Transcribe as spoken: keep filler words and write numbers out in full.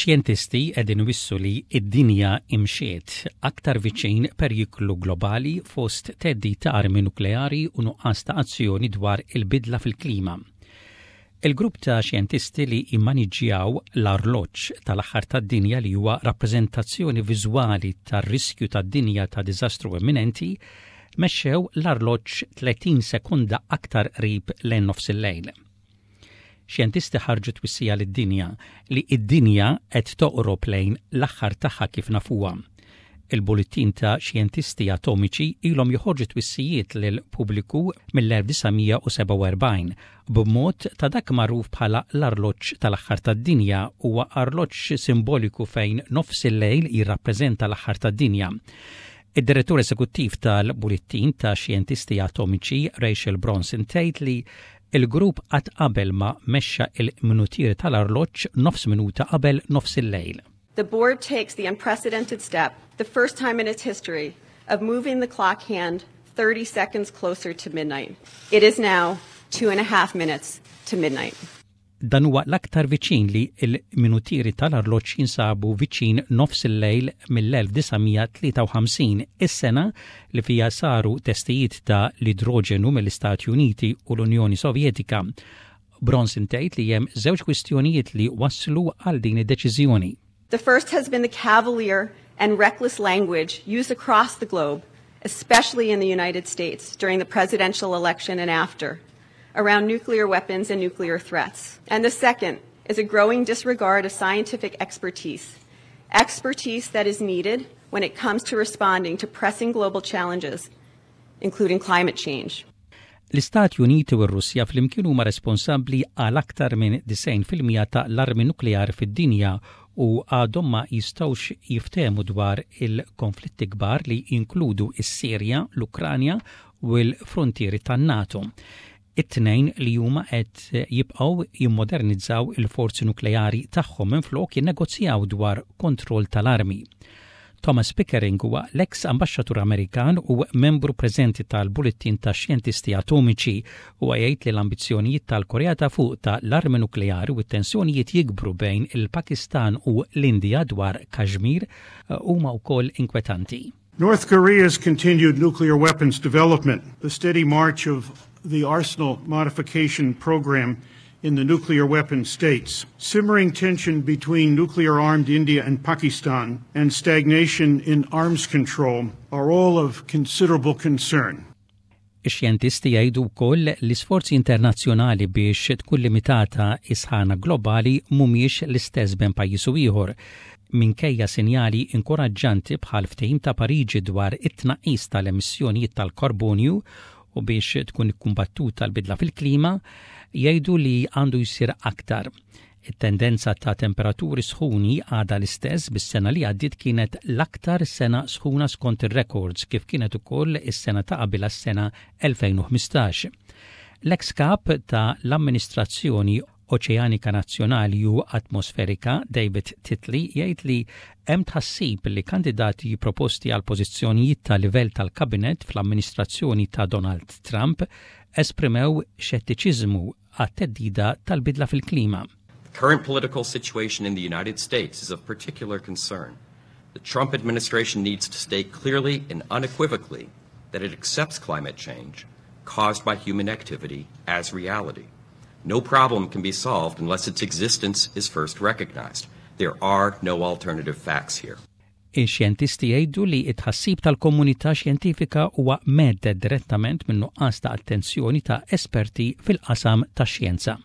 Ix-xjentisti qegħdin iwissu li id-dinja imxiet aktar viċin periklu globali fost theddid ta' armi nukleari u nuqqas ta' azzjoni dwar il-bidla fil-klima. Il-grupp ta' xjentisti li immaniġġjaw l-arloġġ tal-aħħar tad-dinja, li huwa rappreżentazzjoni viżwali tar-riskju tad-dinja ta' diżastru imminenti, mexxew l-arloġġ tletin sekonda aktar qrib lejn nofs il-lejl. Xjentisti ħarġu twissija lid-dinja li id-dinja qed toqrob lejn l-aħħar tagħha kif nafuha. Il-Bullettin ta' Xjentisti Atomiċi ilhom joħorġu twissijiet lil pubbliku mill-elf disa' mija u sebgħa u erbgħin b'mod ta' dak magħruf bħala l-arloġġ tal-aħħar tad-dinja. Huwa arloġġ simboliku fejn nofs il-lejl jirrappreżenta l-aħħar tad-dinja. Id-direttur eżekuttiv tal-Bullettin ta' Xjentisti Atomiċi, Rachel Bronson, tgħid li il-grupp qatt qabel ma mexxa il-minutier tal-arloġġ nofs minuta qabel nofs il-lejl. The board takes the unprecedented step, the first time in its history, of moving the clock hand thirty seconds closer to midnight. It is now two and a half minutes to midnight. Dan huwa l-aktar viċin li il-minutieri tal-arloġġ jinsabu viċin nofs il-lejl mill-elf disa' mija tlieta u ħamsin, is-sena li fija saru testijiet ta' l-idroġenu mill-Istati Uniti u l-Unjoni Sovjetika. Bronson tgħid li hemm żewġ kwistjonijiet li waslu għal din id-deċiżjoni. The first has been the cavalier and reckless language used across the globe, especially in the United States during the presidential election and after, around nuclear weapons and nuclear threats. And the second is a growing disregard of scientific expertise, expertise that is needed when it comes to responding to pressing global challenges, including climate change. L-Istati Uniti u r-Russja flimkien huma responsabbli għal aktar minn disgħin fil-mija ta' l-armi nukleari fid-dinja u għadhom ma jistgħux jiftehmu dwar il-konflitti kbar li jinkludu is-Sirja, l-Ukranja u l-frontieri tan-NATO. It-tnejn li huma qed jibqgħu jimmodernizzaw il-forzi nukleari tagħhom minflok jinnegozjaw dwar kontroll tal-armi. Thomas Pickering huwa l-ex ambaxxatur Amerikan u membru preżenti tal-Bullettin ta' Xjentisti Atomiċi u jgħid li l-ambizzjonijiet tal-Korea ta' Fuq ta' l-armi nukleari u t-tensjonijiet jikbru bejn il-Pakistan u l-Indija dwar Kashmir huma wkoll inkwetanti. North Korea's continued nuclear weapons development, the steady march of the arsenal modification program in the nuclear weapon states, simmering tension between nuclear armed India and Pakistan, and stagnation in arms control are all of considerable concern. Ix-xjentisti jgħidu wkoll li sforzi internazzjonali biex tkun limitata is-sħana globali mhumiex l-istess bejn pajjiż u ieħor. Minkejja sinjali inkoraġġanti bħal ftehim ta' Pariġi dwar it-tnaqqis tal-emissjonijiet tal-karbonju u biex tkun ikkumbattuta l-bidla fil-klima, jgħidu li għandu jsir aktar. It-tendenza ta' temperaturi sħuni għada l-istess, bis-sena li għaddiet kienet l-aktar sena sħuna skont ir-records, kif kienet ukoll is-sena ta' qabel, s-sena elfejn u ħmistax. L-ex kap ta' l-Amministrazzjoni Oċeanika Nazzjonali u Atmosferika, David Titley, jgħid li hemm tħassib li kandidati proposti għal pożizzjonijiet ta' livell tal-kabinet fl-amministrazzjoni ta' Donald Trump esprimew xettiċiżmu għat-theddida tal-bidla fil-klima. The current political situation in the United States is of particular concern. The Trump administration needs to state clearly and unequivocally that it accepts climate change caused by human activity as reality. No problem can be solved unless its existence is first recognized. There are no alternative facts here. Ix-xjentisti jgħidu li it-tħassib tal-komunità xjentifika huwa mhedded direttament minn nuqqas ta' attenzjoni ta' esperti fil-qasam tax-xjenza.